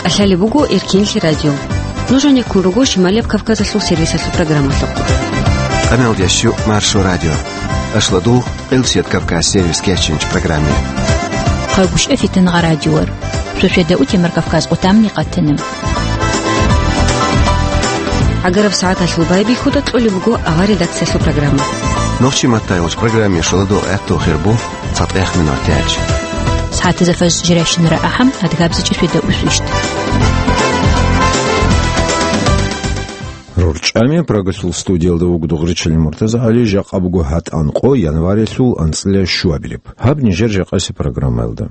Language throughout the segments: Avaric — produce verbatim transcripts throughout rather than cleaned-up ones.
КӀалъалеб буго Эркенлъи радио. Нуж гьанеккун руго Шималияб Кавказалъул сервисалъул программалъухъ. Къамел ящу Маршо радио. Ашладул, Къилсият Кавказ сервис кечинч программе. Хъагушев Фитнагъа радиор. Шошеда утемар Кавказ къутамни къатана. ГӀагараб сагӀаталъул байбихьуда кьолеб буго авар редакциялъул программа. Нохчи маттайгъуч программе шоладул гӀехту хирбу цатӀех минутиялъ. СагӀатазда фаз жирайщинара ахӀам, адгабзичӀи шведа усвищт. РорчӀами Прагасул студиялда вугдугъричил МуртазагӀали, жакъа буго гьатӀан къо, январилъул анцӀила щуабилеб. Гьаб нижер жакъаси программаялда.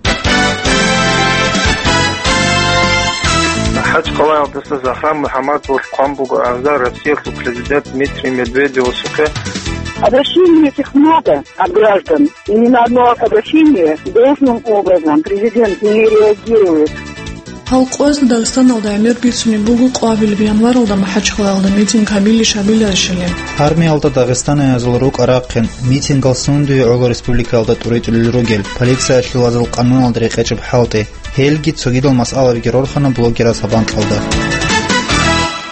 МахӀачхъалаялдаса Загьран МухӀаммадовалъ хъван буго арза Россиялъул президент Дмитрий Медведевасухъе. Обращение этих много от граждан. И ни на одно обращение должным образом президент не реагирует. Гьал къоялъ Дагъистаналда гӀемер бицунеб буго къоабилеб январалда МахӀачхъалаялда митинг гьабилищ-гьабиларищали. Армиялда дагъистаниязул рукӀа-рахъин митингал сундуе гӀоло республикаялда тӀуритӀулел ругел, полициялъул вазал къануналда рекъечӀеб хӀалтӀи. Гьелги цогидал масъалабиги рорхана блогераз гьаб анкьалда.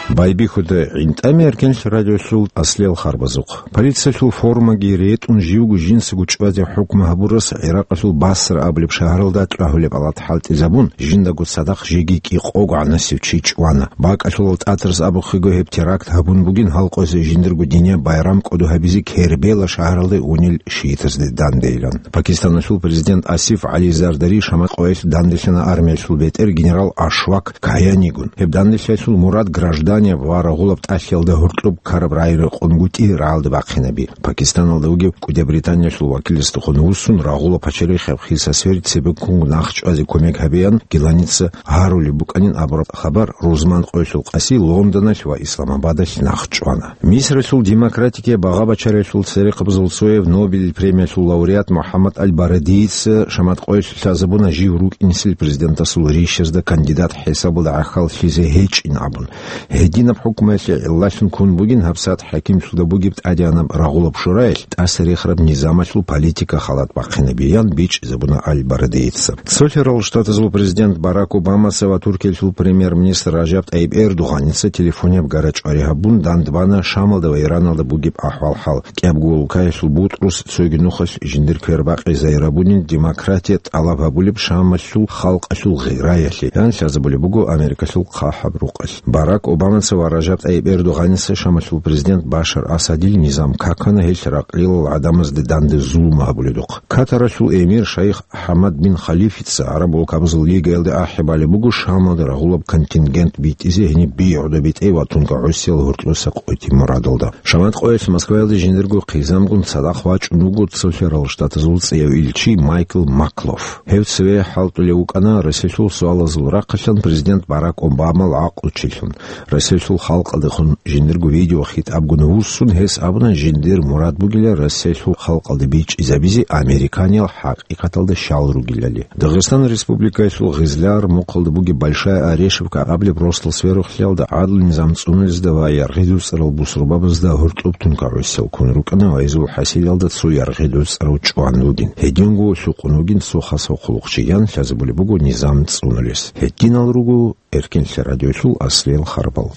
Байбихьуда гӀинтӀами Эркенлъи радиолъул аслиял харбазухъ. Полициялъул формаги ретӀун, живго жинцаго чӀвазе хӀукму гьабурас ГӀиракъалъул Басра абулеб шагьаралда тӀагьулеб алат хӀалтӀизабун, жиндаго цадахъ жеги кӀикъого гӀанасев чи чӀвана. БакӀалъулал тӀатарас абухъего гьеб теракт гьабун бугин, гьал къоялъ жиндирго динияб байрам кӀодо гьабизе Кербела шагьаралде унел шиитазде дандейилан. Пакистаналъул президент Асиф ГӀали Зардари Шамат къоялъ данделъана армиялъул бетӀер генерал Ашвак Каянигун. Гьеб данделъиялъул мурад гражданияб ва рагъулаб тӀалъиялда гьоркьоб ккараб рагӀи рекъонгутӀи рагӀалда бахъинаби. Пакистаналда вугев КӀудияб Британиялъул вакиласдехун вуссун, рагъулаб пачарихъ гьеб хисасверицебеккун нахъчӀвазе кумек гьабеян геланица гьарулеб букӀанин абураб хабар рузман къоялъул къаси Лондоналъ ва Исламабадалъ нахъчӀвана. Мисралъул демократикияй багъа-бачариялъул церехъабазул цояв Нобелил премиялъул лауреат МухӀаммад аль-Барадиица Шамат къоялъ лъазабуна жив рукӀинсел президентасул рищазда кандидат хӀисабалда гӀахьаллъизе гьечӀин абун. Гьединаб хӀукмуялъе гӀиллалъун ккун бугин гьабсагӀат хӀакимлъуда бугеб тӀадегӀанаб рагъулаб шураялъ тӀаса рехараб низамалъул политика халат бахъинабиян бичӀчӀизабуна аль-Барадиица. Цолъарал Штатазул президент Барак Обамаца ва Туркиялъул премьер-министр Ражаб ТӀайиб Эрдогъаница телефонияб гарачӀвари гьабун, дандбана Шамалда ва Ираналда бугеб ахӀвал-хӀал. КӀиябго улкаялъул бутӀрус цоги нухалъ жиндир квербакъи зайрабунин демократия тӀалаб гьабулеб Шамалъул халкъалъул гъираялъе, ян лъазабулеб буго Америкалъул хъахӀаб рукъалъ. Барак Обамаца ва Ражаб ТӀайиб Эрдогъаница Шамалъул президент Башар Асадил низам какана гьелъ ракълилал гӀадамазде данде зулму гьабуледухъ. Катаралъул эмир шайх ХӀамад бин Халифица гӀараб улкабазул лигаялде ахӀи балеб буго Шамалда рагъулаб контингент битӀизе гьениб бигӀуда битӀе ва тункагӀусиял гьоркьоса къоти мурадалда. Шамат къоялъ Москваялде жиндирго хъизамгун цадахъ вачӀун вуго Цолъарал Штатазул цӀияв илчи Майкл Маклоф. Гьев цеве хӀалтӀулев вукӀана Россиялъул суалазул рахъалъан президент Барак Обамал гӀакълучилъун. Россиялъул халкъалдехун жиндирго видеохитӀабгун вуссун, гьес абуна, жиндир мурад бугила Россиялъул халкъалде бичӀчӀизабизе американиял хӀакъикъаталда щал ругилали. Дагъистан Республикаялъул Гъизляр мухъалда бугеб Большая Орешевка абулеб росдал сверухълъиялда гӀадлу низам цӀунулезда ва яргъи-дуцӀарал бусурбабазда гьоркьоб тункагӀусиял ккун рукӀана ва гьезул хӀасилалда цо яргъи-дуцӀарав чӀван вугин. Гьединго лъукъун вугин цо хасав хъулухъчи, ян лъазабулеб буго низам цӀунулес. Гьединал руго Эркенлъи радиолъул аслиял харбал.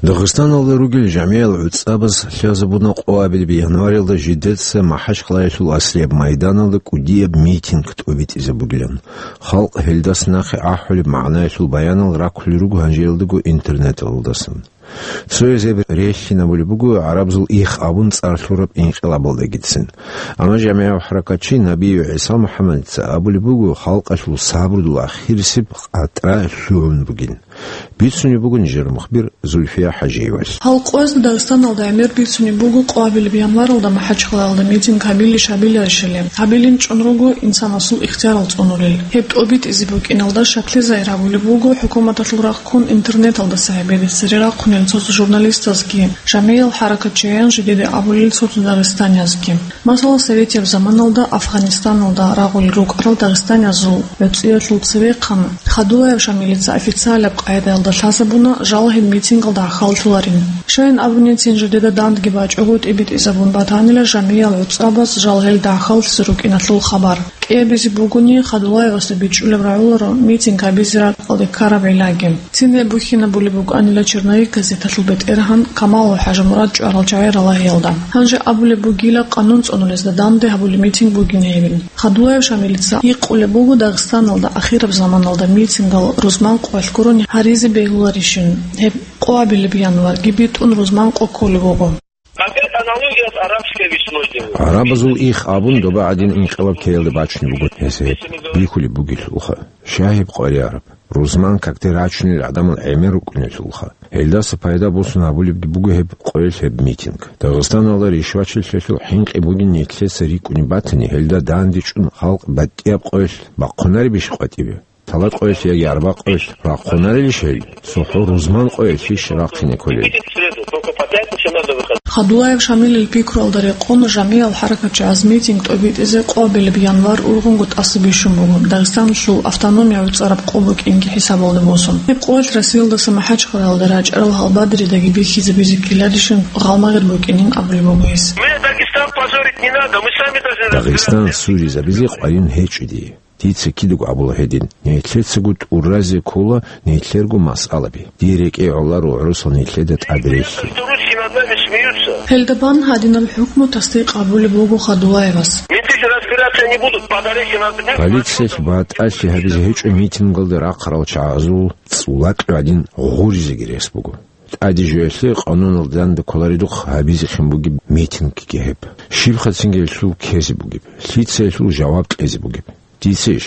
Дагъистаналда ругел жамигӀал гӀуцӀабаз лъазабуна къоабилеб январилда жидеца МахӀачхъалаялъул аслияб майданалда кӀудияб митинг тӀобитӀизабугилан. Халкъ гьелдас нахъе ахӀулеб магӀнаялъул баянал раккулел руго гьанжеялдаго интернеталдасан. Цояз гьеб релълъинабулеб буго гӀарабзул их абун цӀар лъураб инкъилабалдагицин. Амма жамигӀав хӀаракатчи Набиев ГӀиса МухӀаммадица абулеб буго халкъалъул сабрудул ахирисеб къатӀра лъугӀун бугин. Бицунеб буго нижер мухбир Зульфия ХӀажиевалъ. Гьал къоязда Дагъистаналда гӀемер бицунеб буго къоабилеб январалда МахӀачхъалаялда митинг гьабилищ-гьабиларищали. Гьабилин чӀун руго инсанасул ихтиярал цӀунулел. Гьеб тӀобитӀизе букӀиналда шаклъи загьир гьабулеб буго хӀукуматалъул рахъ ккун интернеталдаса гьебеде цере рахъунел цо-цо журналистазги, жамигӀиял хӀаракатчиян жидеде абулел цо-цо дагъистаниязги. Масала, советияб заманалда Афгъанистаналда рагъулел рукӀарал дагъистаниязул гӀуцӀиялъул цевехъан Хадулаев Шамилица официалаб къагӀидаялда лъазабуна жал гьеб митингалда гӀахьаллъуларин. Щайин абуницин, жидеда дандги бачӀого тӀибитӀизабун батанила жамигӀал гӀуцӀрабаз жал гьелда гӀахьаллъизе рукӀиналъул хабар. КӀиабизе бугони, Хадулаевасда бичӀчӀулеб рагӀуларо митинг гьабизе ракӀалде ккараб гӀиллаги. Цин гьеб бухьинабулеб букӀанила черновик газеталъул бетӀергьан Камалов ХӀажимурад чӀварал чагӀи ралагьиялда. Гьанже абулеб бугила, къанун цӀунулезда данде гьабулеб митинг бугин гьебин. Хадулаев Шамилица гьикъулеб буго Дагъистаналда ахираб заманалда митингал рузман къоялъ гурони гьаризе бегьуларищин. Гьеб къоабилеб январги битӀун рузман къо кколеб буго. Опять аналогия с арабской весной делаю. ГӀарабазул их абун доба гӀадин инкъилаб ккеялда бачунеб буго гьес гьеб. Бихьулеб бугелъулха, щай гьеб къваригӀараб? Рузман какде рачунел гӀадамал гӀемер рукӀунелъулха. Гьелдаса пайда босун гьабулебги буго гьеб къоялъ гьеб митинг. Дагъистаналда ришвачилъиялъул хӀинкъи бугин нилъеца рикӀкӀунеб батани, гьелда дандечӀун халкъ батӀияб къоялъ бахъунаребищ къватӀибе? Талат къоялъ яги арба къоялъ рахъунарелищ гьел? ЦохӀо рузман къоялъищ рахъине кколел? Хадулаев Шамилил пикруялда рекъон, жамигӀал хӀаракатчагӀаз митинг тӀобитӀизе къоабилеб январ ургъунго тӀаса бищун буго, Дагъистаналъул автономия гӀуцӀараб къо букӀинги хӀисабалда босун. Гьеб къоялъ Россиялдаса МахӀачхъалаялда рачӀарал гьалбадридаги бихьизабизе ккеларищин гъалмагъир букӀинин абулеб буго гьес. Мы Дагестан позорить не надо, мы сами должны разбираться. Дагъистан суризабизе къваригӀун гьечӀо дие. Дица кидаго абула гьедин, нилъецаго тӀуразе ккола нилъерго масъалаби. Дие рекӀее гӀоларо гӀурусал нилъеда тӀаде релълъи. Гьелда бан гьадинаб хӀукму тасдикъ гьабулеб буго Хадулаевас. Менты же разбираться не будут, подарите нам. Полициялъ батӀалъи гьабизе гьечӀо митингалда рахъарал чагӀазул цӀулакьи гӀадин гъуризеги рес буго. ТӀаде жоялъе къануналда данде кколаредухъ гьабизехъин бугеб митингги гьеб. Щибха цинги гьелъул ккезе бугеб, лъица гьелъул жаваб кьезе бугеб? Дицейищ?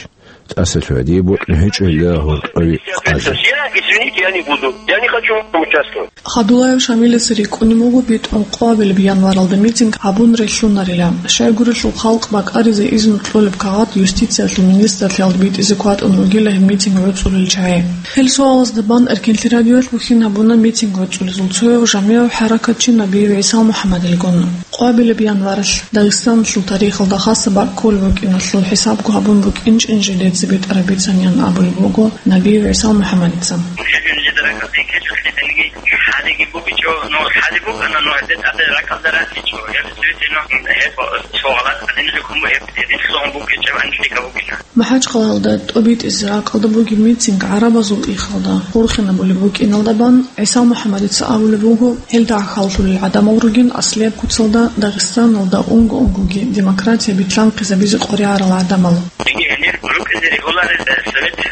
ТӀаса лъугӀа, дие бокьун гьечӀо гьелда гьоркьови къазе. Я, извините, я не буду. Я не хочу в этом участвовать. Хадулаев Шамилица рикӀкӀунеб буго битӀун къоабилеб январалда митинг гьабун релълъунарила. Щайгурелъул халкъ бакӀаризе изну кьолеб кагъат юстициялъул министрлъиялда битӀизе кватӀун ругила гьеб митинг гӀуцӀулел чагӀи. Гьел суалазда бан Эркенлъи радиоялъ бухьин гьабуна митинг гӀуцӀулезул цояв жамигӀав хӀаракатчи Набиев ГӀиса МухӀаммадилгун. Къоабилеб январалъ Дагъистаналъул тарихалда хасаб бакӀ кколеб букӀиналъул хӀисабго гьабун букӀинчӀин жидеца битӀараб бицанин абулеб буго Набиев ГӀиса МухӀаммадица. Гьеб жидеракаб бекечӀо лъидениги хӀалиги букӀичӀо, ну, хӀали букӀана, ну, гьеб тӀаде ракӀалда ратичӀо, гьеб цоги, ну, гьеб цо гъалатӀ гьадин хӀукму гьеб гьедин лъугьун букӀичӀеб анлъига букӀина. МахӀачхъалаялда тӀобитӀизе ракӀалда бугеб митинг гӀарабазул ихалда хурхинабулеб букӀиналда бан ГӀиса МухӀаммадица абулеб буго, гьелда гӀахьаллъулел гӀадамал ругин аслияб куцалда Дагъистаналда унго-унгоги демократия битлъанхъизабизе къваригӀарал гӀадамал. Диги гьенир рукӀине регуларный, э, совет, э,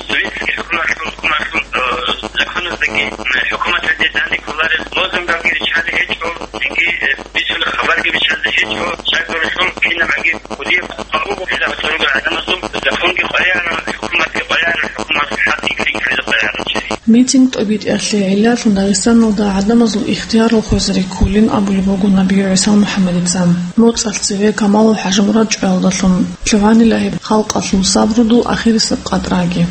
советский хӀукуматлъун, хӀукуматлъун, э, законаздаги, э, хӀукуматалде данде кколареб лозунгабги риччалде гьечӀо, диги, э, бицунеб хабарги биччалде гьечӀо, щайгурелъул кинаб гӀаги кӀудияб къваригӀун буго, гьезда гьоркьоб ругел гӀадамазул законги къваригӀараб, хӀукуматги къваригӀараб, хӀукуматалъул хӀакъги кьезе къваригӀараб чи. Митинг тӀобитӀиялъе гӀиллалъун Дагъистаналда гӀадамазул ихтияр хвезари кколин абулеб буго Набиев ГӀиса МухӀаммадица. МоцӀалъ цеве Камалов ХӀажимурад чӀваялдалъун лъугӀанила гьеб халкъалъул сабрудул ахирисеб къатӀраги.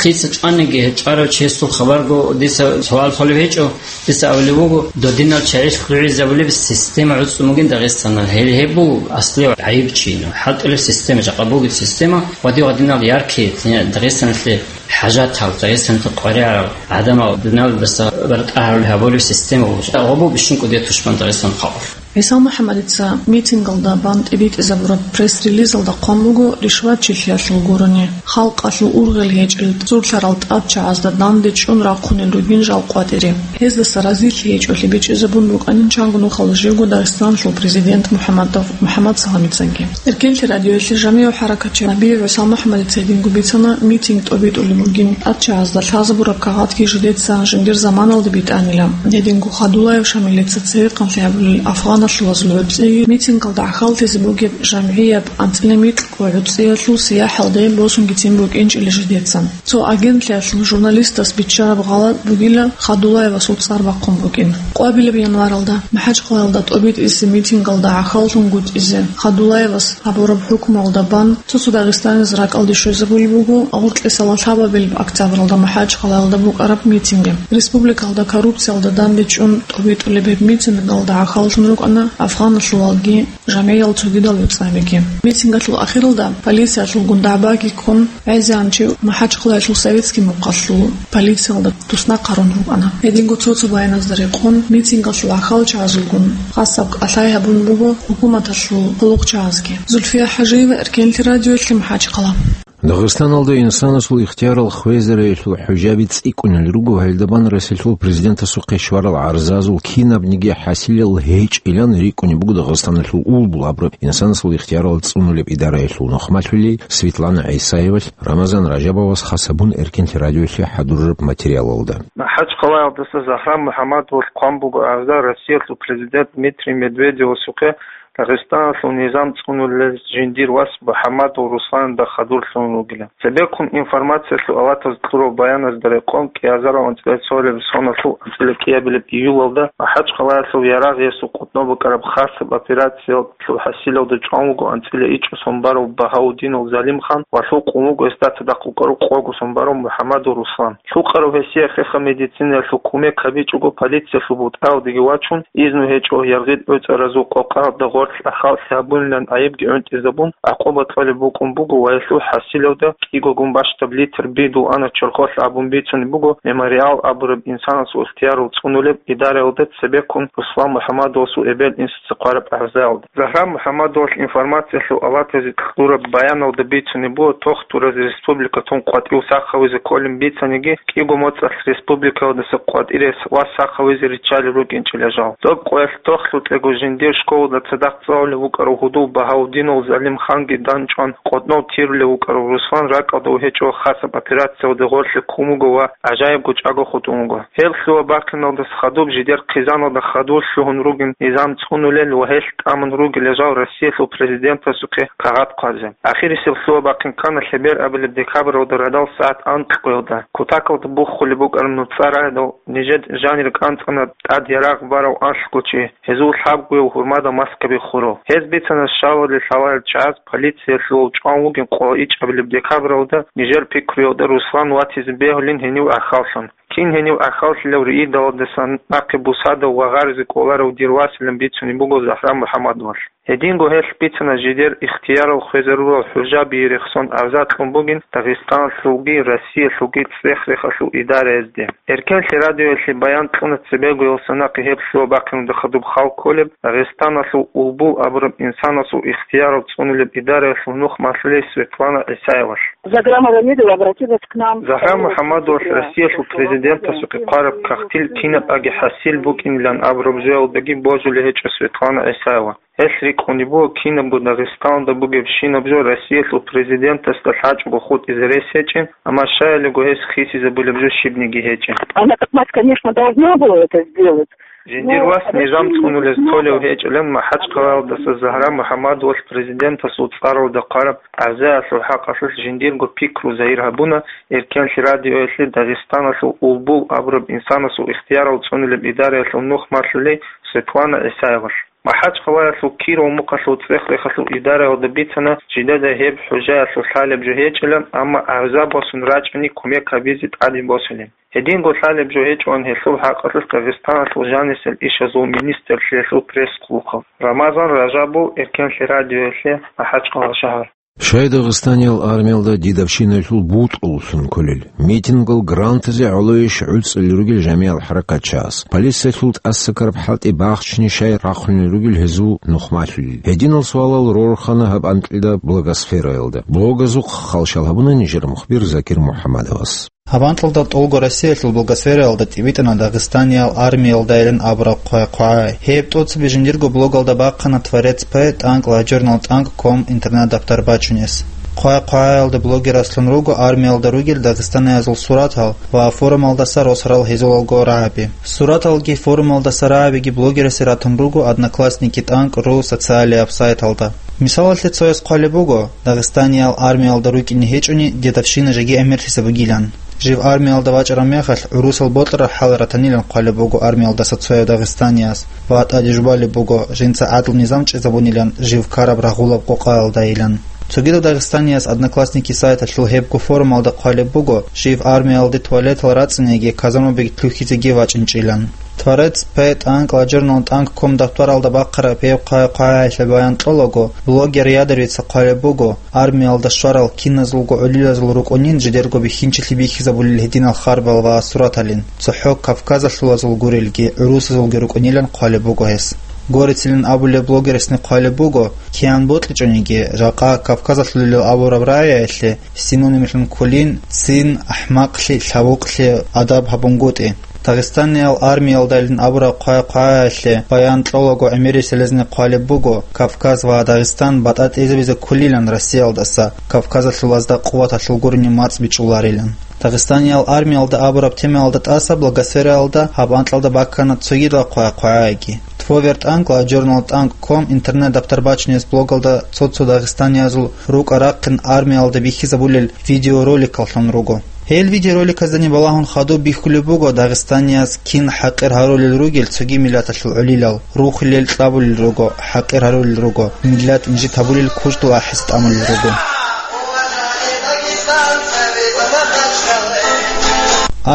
Лъица чӀваниги, чӀварав чиясул хабарго дица суал холев гьечӀо, дица абулеб буго, додинал чагӀилъ лъугӀизабулеб система гӀуцӀун бугин Дагъистаналъ. Гьел гьеб буго аслияб гӀайиб чи, ну, хӀалтӀулеб система, жакъа бугеб система, ва див гьадинал яркий, Дагъистаналъе хӀажатал, Дагъистаналъе къваригӀарал гӀадамал дуниялалдаса бартӀа гьарулел гьабулеб система буго. Гьаб буго бищун кӀудияб тушман Дагъистаналъул халкъалъ. ГӀиса МухӀаммадица митингалда бан тӀибитӀизабураб пресс-релизалда хъван буго ришватчилъиялъул гурони, халкъалъул ургъел гьечӀел цурлъарал тӀадчагӀазда данде чӀун рахъунел ругин жал къватӀире. Гьездаса разилъи гьечӀолъи бичӀчӀизабун букӀанин чанго нухалъ живго Дагъистаналъул президент МухӀаммадов МухӀаммад Саламицанги. Эркенлъи радиоялъе жамигӀав хӀаракатчи Набиев ГӀиса МухӀаммадица гьединго бицана, митинг тӀобитӀулеб бугин, тӀадчагӀазда лъазабураб кагъатги жидеца жиндир заманалда битӀанила. Гьединго Хадулаев Шамилица цевехъанлъи гьабулел афгъаналъулазул гӀуцӀиги, митингалда гӀахьаллъизе бугеб жамгӀияб анцӀила микьго гӀуцӀиялъул сияхӀалде босунгицин букӀинчӀила жидеца. Цо агентлъиялъул журналистас биччараб гъалатӀ бугила Хадулаевасул цӀар бахъун букӀин. Къоабилеб январалда МахӀачхъалаялда тӀобитӀизе митингалда гӀахьаллъунгутӀизе Хадулаевас гьабураб хӀукмуялда бан цо-цо дагъистанияз ракӀалде щвезабулеб буго гъоркье лъабабилеб октябралда МахӀачхъалаялда букӀараб митинги. Республикалда коррупциялда данде чӀун тӀобитӀулеб гьеб митингалда гӀахьаллъун рукӀа Афгъаналъулалги жамгӀиял цогидал вецӀабиги. Митингалъул ахиралда полициялъулгун дагӀбаги ккун, гӀезегӀан чи МахӀачхъалаялъул Советский мухъалъул полициялда туснахъ гьарун рукӀана. Гьединго цо-цо баяназда рекъон, митингалъул гӀахьалчагӀазулгун хасаб кӀалъай гьабун буго хӀукуматалъул хъулухъчагӀазги. Зульфия ХӀажиева, Эркенлъи радиоялъе, МахӀачхъала. Дагъистаналда инсанасул ихтиярал хвезариялъул хӀужаби цӀикӀкӀунел руго, гьелдабан Россиялъул президентасухъе щварал гӀарзазул кинабниги хӀасилел гьечӀилан рикӀкӀунеб буго Дагъистаналъул улбул абураб инсанасул ихтиярал цӀунулеб идараялъул нухмалъулей Светлана ГӀисаевалъ Рамазан Ражабовас хас гьабун Эркенлъи радиоялъе хӀадурараб материалалда. МахӀачхъалаялдаса Загьран МухӀаммадовалъ хъван буго гӀарза Россиялъул президент Дмитрий Медведевасухъе Дагъистаналъул низам цӀунулел жиндир вас МухӀаммадов Русланда хадур лъун ругилан. Цебеккун информациялъул аватаз кьураб баяназда рекъон, кӀиазарал анцӀила цолеб соналъул анцӀила кӀиабилеб июлалда МахӀачхъалаялъул Ярагъиясул къотӀноб букӀараб хасаб операциялъул хӀасилалда чӀван вуго анцӀила ичӀго сон барав Багьаудинов Залимхан ва лъукъун вуго гьесда цадахъ вукӀарав къого сон барав МухӀаммадов Руслан. Лъукъарав гьесие хеха медицинаялъул кумек гьабичӀого, полициялъул бутӀаялдеги вачун, изну гьечӀо яргъи тӀоцӀаразул къокъаялда гъорлъ ахаллъи гьабунилан гӀайибги гӀунтӀизабун, гӀакъуба кьолеб букӀун буго ва гьелъул хӀасилалда кӀигогун бащдаб литр бидул ана чорхолъ абун бицунеб буго Мемориал абураб инсанасул ихтиярал цӀунулеб идараялда цебеккун Руслан МухӀаммадовасул эбел-инсуца хъвараб гӀарзаялда. Загьран МухӀаммадовалъ информациялъул аватазе кьураб баяналда бицунеб буго, тохтураз республикатун къватӀив сахавизе кколин бицаниги, кӀиго моцӀалъ республикаялдаса къватӀире вас сахавизе риччалел рукӀинчӀила жал. Доб къоялъ тохлъукьего жиндир школалда цадахъ цӀалулев вукӀарав гьудул Багьаудинов Залимханги данчӀван, къотӀнов тирулев вукӀарав Руслан ракӀалда вугьечӀо хасаб операциялда гъорлъе ккун вуго ва гӀажаибго чӀаго хутӀун вуго. Гьеб лъугьа-бахъиналдаса хадуб жидер хъизаналда хадур лъугьун ругин низам цӀунулел ва гьелъ тӀамун ругел жал Россиялъул президентасухъе кагъат хъвазе. Ахирисеб лъугьа-бахъин ккана лъеберабилеб декабралда радал сагӀат анкьгоялда. Кутакалда буххулеб букӀараб нуцӀа рагӀидал нижер жанир кӀанцӀана тӀад ярагъ барав анлъго чи, гьезул лъабгояв гьурмада маскаби хурав. Гьез бицана щалалде лъаларел чагӀаз полициялъул чӀван вугин къо ичӀабилеб декабралда нижер пикруялда Руслан ватизе бегьулин гьенив гӀахьаллъун. Кин гьенив гӀахьаллъилав риидалдасан нахъе бусадав ва гъаризе кӀоларав дир василан бицунеб буго Загьран МухӀаммадовалъ. Гьединго гьелъ бицана жидер ихтиярал хвезарурал хӀужабие рехсон гӀарза кьун бугин Дагъистаналъулги Россиялъулги цӀех-рехалъул идараязде. Эркенлъи радиоялъе баян кьуна цебегоялдаса нахъе гьеб лъугьа-бахъиналда хадуб хал кколеб Дагъистаналъул улбул абураб инсанасул ихтиярал цӀунулеб идараялъул нухмалъулей Светлана ГӀисаевалъ. Заграма Рамидова обратилась к нам. Загьран МухӀаммадовалъ Россиялъул президентасухъе хъвараб кагътил кинаб аги хӀасил букӀинилан абураб жоялдаги божулей гьечӀо Светлана ГӀисаева. Гьелъ рикӀкӀунеб буго кинабго Дагъистаналда бугебщинаб жо Россиялъул президентасда лъачӀого хутӀизе рес гьечӀин, амма щаялиго гьес хисизабулеб жо щибниги гьечӀин. Она как мать, конечно, должна была это сделать. Жиндир вас низам цӀунулез толев гьечӀилан МахӀачхъалаялдаса Загьран МухӀаммадовалъ президентасул цӀаралда хъвараб гӀарзаялъул хӀакъалъулъ жиндирго пикру загьир гьабуна Эркенлъи радиоялъе Дагъистаналъул улбул абураб инсанасул ихтиярал цӀунулеб идараялъул нухмалъулей Светлана ГӀисаевалъ. МахӀачхъалаялъул Киров мухъалъул цӀех-рехалъул идараялда бицана жидеда гьеб хӀужаялъул лъалеб жо гьечӀилан, амма гӀарза босун рачӀани кумек гьабизе тӀадин босулин. Гьединго лъалеб жо гьечӀоан гьелъул хӀакъалъулъ Дагъистаналъул жанисел ишазул министрлъиялъул пресс-хъулухъав Рамазан Ражабов Эркенлъи радиоялъе, МахӀачхъала шагьар. Щай Дагъистаниял армиялда дидавщинаялъул бутӀруллъун кколел? Митингал грантазе гӀолойищ гӀуцӀулел ругел жамигӀал хӀаракатчияс? Полициялъул тӀасакараб хӀалтӀи бахчине щай рахъунел ругел гьезул нухмалъулел? Гьединал суалал рорхана гьаб анкьида блогосфераялда. Блогазухъ халщал гьабуна нижер мухбир Закир МухӀаммадовас. Гьаб анкьалда тӀолго Россиялъул блогосфераялда тӀибитӀана Дагъистаниял армиялдайилан абураб хъвай-хъвагӀай. Гьеб тӀоцебе жиндирго блогалда бахъана Творец П тӀанкӀ ва Журнал тӀанкӀ ком интернет-даптар бачунес. Хъвай-хъвагӀаялда блогераслъун руго армиялда ругел дагъистаниязул суратал ва форумалдаса росарал гьезулалго рагӀаби. Сураталги форумалдаса рагӀабиги блогерасе ратун руго Одноклассники тӀанкӀ ру социалияб сайталда. Мисалалъе цояс хъвалеб буго, Дагъистаниял армиялда рукӀине гьечӀони дедовщина жеги гӀемерлъизе бугилан. Жив армиялда вачӀараб мехалъ гӀурусал бокьараб хӀал ратанилан хъвалеб буго армиялдаса цояв дагъистанияс ва тӀаде жубалеб буго жинца гӀадлу-низам чӀезабунилан жив ккараб рагъулаб къокъаялдайилан. Цогидав дагъистанияс Одноклассники сайталъул гьебго форумалда хъвалеб буго жив армиялде туалетал рацӀцӀинеги казармабиги лъухьизеги вачӀинчӀилан. Творец П тӀанкӀ ладжорнал тӀанкӀ ком дабтаралда бахъараб гьеб хъвай-хъвагӀаялъе баян кьолаго, блогер Ядровица хъвалеб буго, армиялда щварал киназулго гӀолилазул рукӀунин жидерго бихьинчилъи бихьизабулел гьединал харбал ва сураталин, цохӀо кавказалъулазул гурелги, гӀурусазулги рукӀунилан хъвалеб буго гьес. Горецилин абулеб блогерасни хъвалеб буго, киян бокьичӀониги, жакъа кавказалъулел абураб рагӀиялъе синонимлъун кколин: цин, ахӀмакълъи, лъабукълъи адаб гьабунгутӀи. Дагъистаниял армиялдалин абураб хъвай-хъвагӀаялъе баян кьолаго гӀемерисел гьезни хъвалеб буго, Кавказ ва Дагъистан батӀа тӀезабизе кколилан Россиялдаса, Кавказалъулазда къуваталъул гурони мацӀ бичӀчӀуларилан. Дагъистаниял армиялда абураб темаялда тӀаса блогосфераялда гьаб анкьалда баккана цогидал хъвай-хъвагӀайги. Тво вертӀанкӀ ладжорнал тӀанкӀ ком интернет-дабтар бачунес блогалда цо-цо дагъистаниязул рукӀа-рахъин армиялда бихьизабулел видеороликаллъун руго. Гьел видеороликаздани балагьун хадуб бихьулеб буго дагъистанияз кин хӀакъир гьарулел ругел цоги миллаталъул гӀолилал, рухулел кьабулел руго, хӀакъир гьарулел руго, миллат инжит гьабулел кучӀдул ахӀиса тӀамулел руго.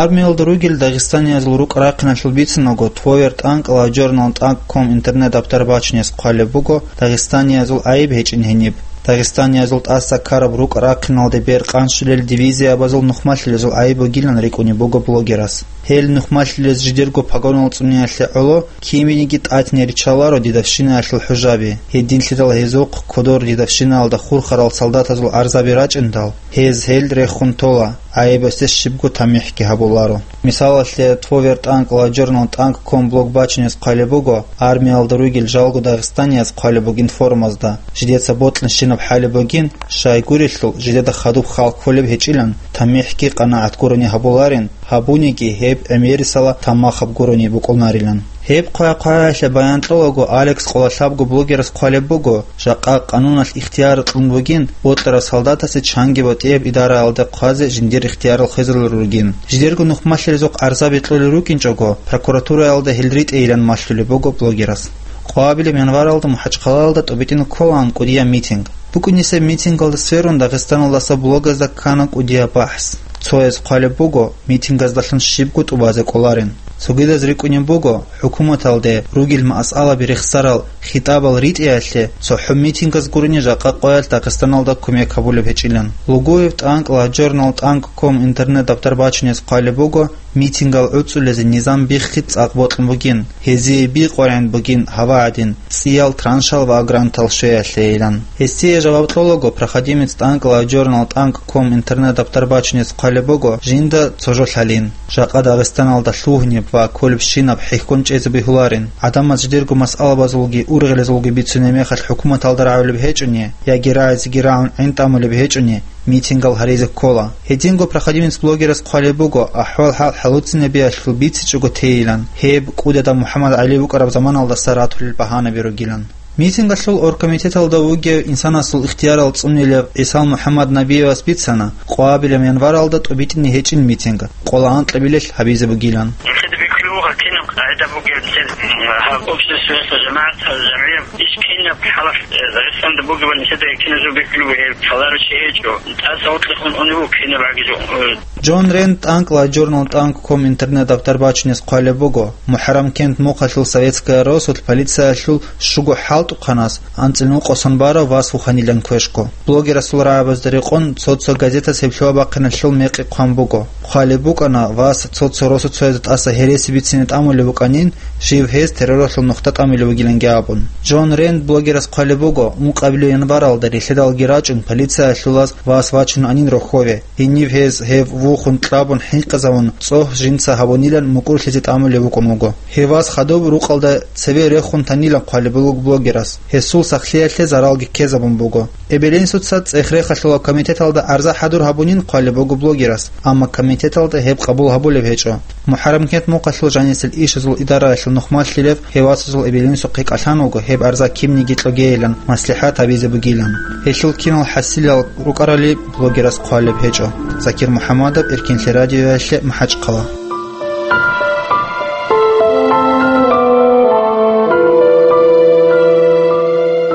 Армиялда ругел дагъистаниязул рукӀа-рахъиналъул бицинаго, Тво вертӀанкӀ ладжорнал тӀанкӀ ком интернет-дабтар бачунес хъвалеб буго дагъистаниязул гӀайиб гьечӀин гьениб. Дагъистаниязул тӀаса ккараб рукӀа-рахъиналде бер къанщулел дивизиябазул нухмалъилазул гӀайиб бугилан рикӀкӀунеб буго блогерас. Гьел нухмалъилез жидерго погонал цӀуниялъе гӀоло киминиги тӀатине риччаларо дидавщинаялъул хӀужаби, гьединлъидал гьезухъ кодор дидавщинаялда хурхарал солдатазул гӀарзаби рачӀиндал, гьез гьел рехун тола, гӀайибасде щибго тамихӀги гьабуларо. Мисалалъе, Тво вертӀанкӀ ладжорнал тӀанкӀ ком блог бачунес хъвалеб буго, армиялда ругел жалго дагъистанияз хъвалеб бугин форумазда, жидеца бокьанщинаб хӀалеб бугин, щайгурелъул жидеда хадуб хал кколеб гьечӀилан, тамихӀги къанагӀат гурони гьабуларин, гьабуниги гьеб гӀемерисела тамахаб гурони букӀунарилан. Гьеб хъвай-хъвагӀаялъе баян кьолаго Алекс къолалъабго блогерас хъвалеб буго, жакъа къануналъ ихтияр кьун бугин бокьарав солдатасе чанги батӀияб идараялда хъвазе жиндир ихтиярал хвезарулел ругин. Жидерго нухмалъилазухъ гӀарзаби кьолел рукӀинчӀого, прокуратураялда гьел ритӀейилан малъулеб буго блогерас. Къвабилеб январалда МахӀачхъалаялда тӀубитӀин кколаан кӀудияб митинг. БукӀунесеб митингалда сверун Дагъистаналдаса блогазда ккана кӀудияб бахӀс. Цояз хъвалеб буго, митингаздалъун щибго тӀубазе кӀоларин. Цогидаз рикӀкӀунеб буго, хӀукуматалде ругел масъалаби рехсарал хитӀабал ритӀиялъе цохӀо митингаз гурони жакъа къоялъ Дагъистаналда кумек гьабулеб гьечӀилан. Лугуев тӀанкӀ ладжорнал тӀанкӀ ком интернет-дабтар бачунес хъвалеб буго, митингал гӀуцӀулезе низам биххи цӀакъ бокьун бугин, гьезие бикъваригӀин бугин гьава гӀадин, цӀиял траншал ва грантал щвеялъейилан. Гьесие жаваб кьолаго, проходимец тӀанкӀ ладжорнал тӀанкӀ ком интернет-дабтар бачунес хъвалеб буго жинда цо жо лъалин, жакъа Дагъистаналда лъугьунеб ва кколебщинаб хӀехьон чӀезе бегьуларин. ГӀадамаз жидерго масъалабазулги ургъелазулги бицунеб мехалъ хӀукуматалда рагӀулеб гьечӀони яги рагӀизеги рагӀун гӀин тӀамулеб гьечӀони, митингал гьаризе ккола. Гьединго проходимец блогерас хъвалеб буго, ахӀвал-хӀал хӀалуцинабиялъул бицичӀого тейилан, гьеб КӀудияб МухӀаммад ГӀали вукӀараб заманалдаса ратулел багьанаби ругилан. Митингалъул оргкомитеталда вугев инсанасул ихтиярал цӀунилев ГӀисал МухӀаммад Набиевас бицана, къвабилеб январалда тӀубитӀине гьечӀин митинг, къола анкьабилелъ гьабизе бугилан. Нилъеда бихьулеб буго кинаб къагӀида бугеб, нилъер, м, гьаб обществоялъул жамагӀат, гьаб жамгӀияб иш кинаб хӀалалъ, э, Дагъистанда бугеб, нилъеда киназул бихьулеб бугеб, лъаларев чи гьечӀо. ТӀаса гьоркьохун унев вуго кинаб гӀагизу, э. Джон Рент тӀанкӀ ладжорнал тӀанкӀ ком интернет-дабтар бачунес хъвалеб буго, МухӀаррамкент мухъалъул Советская росулъ полициялъул щуго хӀалтӀухъанас анцӀила нукъасан барав вас вуханилан квешго. Блогерасул рагӀабазда рекъон цо-цо газетас гьеб лъугьа-бахъиналъул мекъи хъван буго. Хъвалеб букӀана, вас цо-цо росуцояз тӀаса гьереси бицине тӀамулеб букӀанин, жив гьез терроралъул нухда тӀамулеб бугиланги абун. Джон Рент блогерас хъвалеб буго, ункъабилеб январалда рилъедалги рачӀун полициялъулаз вас вачун анин рохьове. Гьенив гьез гьев вухун кьабун хӀинкъизавун, цӀогь жинца гьабунилан мукӀурлъизе тӀамулеб букӀун вуго. Гьев вас хадуб рукъалда цеве рехун танилан хъвалеб буго блогерас, гьесул сахлъиялъе заралги ккезабун буго. Эбелинсуца цӀех-рехалъула комитеталда гӀарза хӀадур гьабунин хъвалеб буго блогерас, амма комитеталда гьеб къабул гьабулеб гьечӀо. МухӀаррамкент мухъалъул жанисел ишазул идараялъул нухмалъилев гьев васазул эбелинсухъе кӀалъан вуго гьеб гӀарза кимниги кьогейилан маслихӀат гьабизе бугилан. Гьелъул кинал хӀасилал рукӀарали блогерас хъвалеб гьечӀо. Закир МухӀаммадов, Эркинлъи радиоялъе, МахӀачхъала.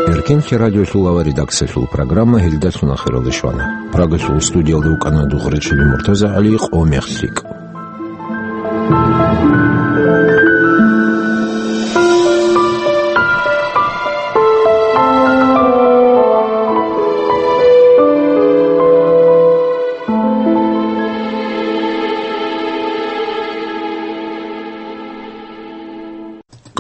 Эркинлъи радиолъул ва редакциялъул программа гьелдалъун ахиралде щвана. Прагалъул студиялда вукӀана Дугъричили МуртазагӀали, къо мехлъикӀ.